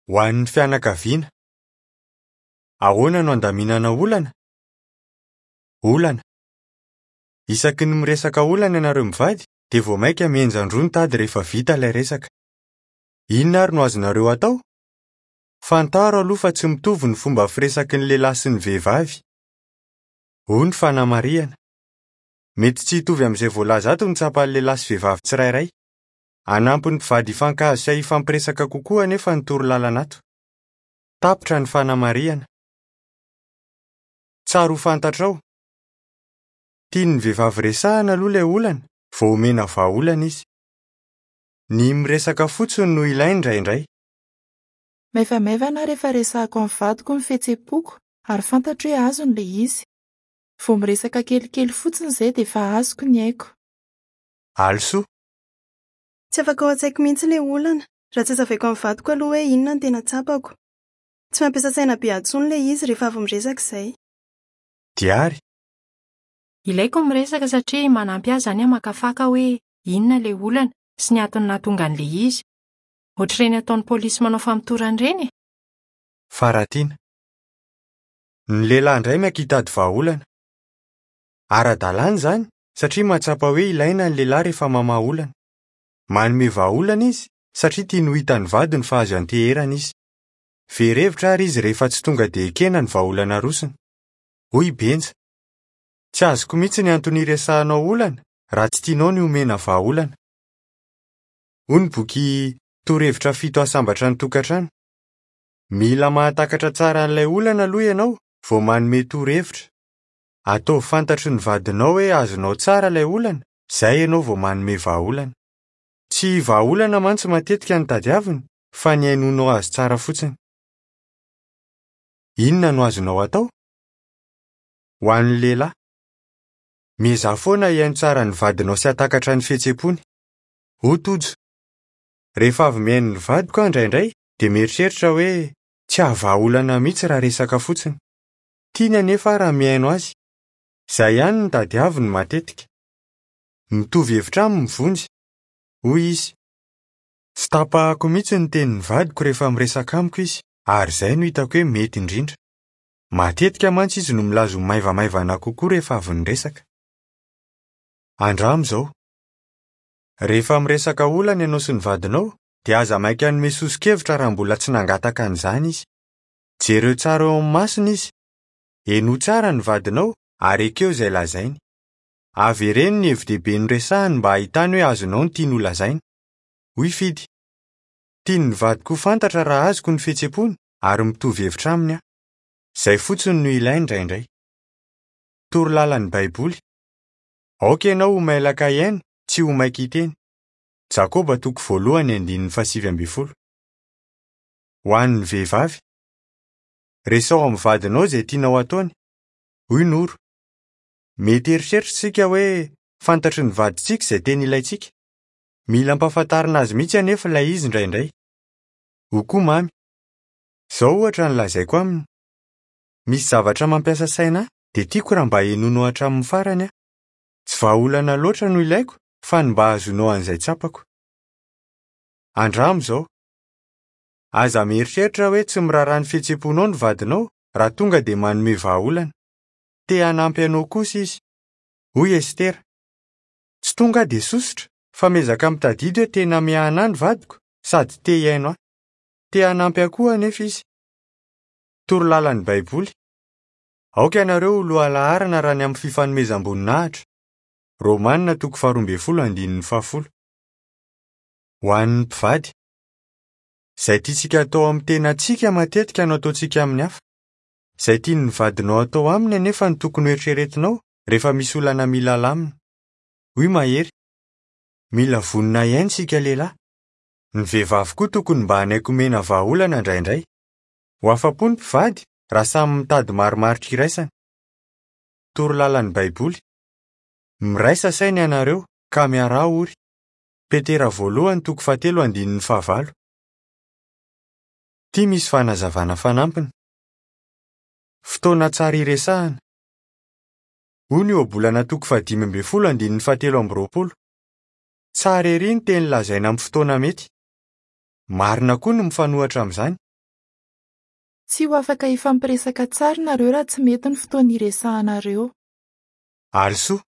Ho an'ny fianakaviana. Ahoana no andaminana olana? Olana. Isaky ny miresaka olana ianareo mivady dia vao mainka mihenjan-droa ny tady rehefa vita ilay resaka. Inona ary no azonareo atao? Fantaro aloha fa tsy mitovy ny fomba firesaky ny lehilahy sy ny vehivavy. Hoy ny fanamarihana. Mety tsy hitovy amin'izay voalaza ato ny tsapan'ny lehilahy sy vehivavy tsirairay. Hanampy ny mpivady hifankahazo sy hifampiresaka kokoa anefa ny torolalana ato. Tapitra ny fanamarihana. Tsara ho fantatrao. Tian'ny vehivavy resahana aloha ilay olana vao omena vahaolana izy. Ny miresaka fotsiny no ilainy indraindray. Maivamaivana aho rehefa resahako amin'ny vadiko ny fihetseham-poko ary fantatro hoe azony ilay izy. Vao miresaka kelikely fotsiny izay dia efa azoko ny aiko. Alisoa. Tsy afaka ao an-tsaiko mihitsy ilay olana, raha tsy hazavaiko amin'ny vadiko aloha hoe inona no tena tsapako. Tsy mampiasa saina be ahy intsony ilay izy rehefa avy miresaka izay. Diary. Ilaiko ny miresaka satria manampy ahy izany hamakafaka hoe inona ilay olana sy ny antony nahatonga an'ilay izy. Ohatr'ireny ataon'ny polisy manao famotorana ireny e! Faratiana. Ny lehilahy indray maika hitady vahaolana. Ara-dalàna izany satria mahatsapa hoe ilaina ny lehilahy rehefa mamaha olana. Manome vahaolana izy satria tiany ho hitan'ny vadiny fa azo ianteherana izy. Very hevitra àry izy rehefa tsy tonga dia ekena ny vahaolana arosony. Hoy i Benja, Tsy azoko mihitsy ny antony iresahanao olana raha tsy tianao ny homena vahaolana. Hoy ny boky Torohevitra Fito Hahasambatra ny Tokantrano, Mila mahatakatra tsara an'ilay olana aloha ianao vao manome torohevitra. Ataovy fantatry ny vadinao hoe azonao tsara ilay olana, izay ianao vao manome vahaolana. Tsy vahaolana mantsy matetika no tadiaviny fa ny hainoanao azy tsara fotsiny. Inona no azonao atao? Ho an'ny lehilahy. Miezaha foana hihaino tsara ny vadinao sy hahatakatra ny fihetseham-pony. Hoy Tojo, Rehefa avy mihaino ny vadiko aho indraindray dia mieritreritra hoe tsy hahavaha olana mihitsy raha resaka fotsiny. Tiany anefa aho raha mihaino azy. Izay ihany no tadiaviny matetika. Mitovy hevitra aminy Vonjy. Hoy izy, Tsy tapahako mihitsy ny tenin'ny vadiko rehefa miresaka amiko izy, ary izay no hitako hoe mety indrindra. Matetika mantsy izy no milaza ho maivamaivana kokoa rehefa avy niresaka. Andramo izao. Rehefa miresaka olana ianao sy ny vadinao, dia aza maika hanome soso-kevitra raha mbola tsy nangataka an'izany izy. Jereo tsara eo amin'ny masony izy. Henoy tsara ny vadinao ary ekeo izay lazainy. Avereno ny hevi-dehibe noresahiny mba hahitany hoe azonao ny tiany holazaina. Hoy Fidy, Tian'ny vadiko ho fantatra raha azoko ny fihetseham-pony ary mitovy hevitra aminy aho. Izay fotsiny no ilainy indraindray. Toro lalan'ny Baiboly, Aoka ianao ho mailaka hihaino, tsy ho maika hiteny. Jakoba toko voalohany andininy fahasivy ambin'ny folo. Ho an'ny vehivavy. Resaho amin'ny vadinao izay tianao hataony. Hoy Noro, Mety hieritreritra isika hoe fantatry ny vadintsika izay tena ilaintsika. Mila ampahafantarina azy mihitsy anefa ilay izy indraindray. Hoy koa Mamy, Izao ohatra no lazaiko aminy, 'Misy zavatra mampiasa saina ahy, dia tiako raha mba henoinao hatramin'ny farany aho. Tsy vahaolana loatra no ilaiko fa ny mba hahazoanao an'izay tsapako. Andramo izao. Aza mieritreritra hoe tsy miraharaha ny fihetseham-ponao ny vadinao raha tonga dia manome vahaolana. Te hanampy anao kosa izy. Hoy Estera, Tsy tonga aho dia sosotra, fa miezaka mitadidy hoe tena miahana ahy ny vadiko sady te hihaino ahy. Te hanampy ahy koa anefa izy. Toro lalan'ny Baiboly, Aoka ianareo ho lohalaharana raha ny amin'ny fifanomezam-boninahitra. Romana toko faharoa ambin'ny folo andininy fahafolo. Ho an'ny mpivady. Izay tiantsika hatao amin'ny tenantsika matetika no ataontsika amin'ny hafa. Izay tian'ny vadinao hatao aminy anefa no tokony hoeritreretinao rehefa misy olana mila alamina. Hoy Mahery, Mila vonona hihaino isika lehilahy. Ny vehivavy koa tokony mba hanaiky homena vahaolana indraindray. Ho afa-po ny mpivady raha samy mitady marimaritra iraisana. Toro lalan'ny Baiboly, Miraisa saina ianareo, ka miaraha ory. Petera voalohany toko fahatelo andininy fahavalo. Ity misy fanazavana fanampiny. Fotoana tsara iresahana. Hoy ny Ohabolana toko fahadimy ambin'ny folo andininy fahatelo amby roapolo, Tsara erỳ ny teny lazaina amin'ny fotoana mety. Marina koa ny mifanohitra amin'izany. Tsy ho afaka hifampiresaka tsara nareo raha tsy mety ny fotoana iresahanareo. Alisoa.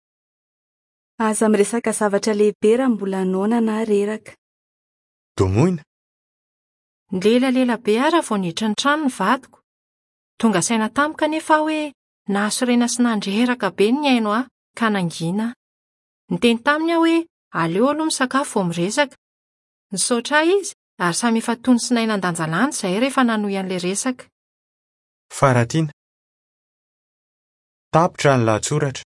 Aza miresaka zavatra lehibe raha mbola noana na reraka. Domoina. Nilelalela be aho raha vao niditra ny trano ny vadiko. Tonga saina tampoka anefa aho hoe nahasorena sy nandreraka be ny nihaino ahy ka nangina aho. Niteny taminy aho hoe aleo aloha misakafo vao miresaka. Nisaotra ahy izy ary samy efa tony sy nahay nandanjalanja izahay rehefa nanohy an'ilay resaka. Faratiana. Tapitra ny lahatsoratra.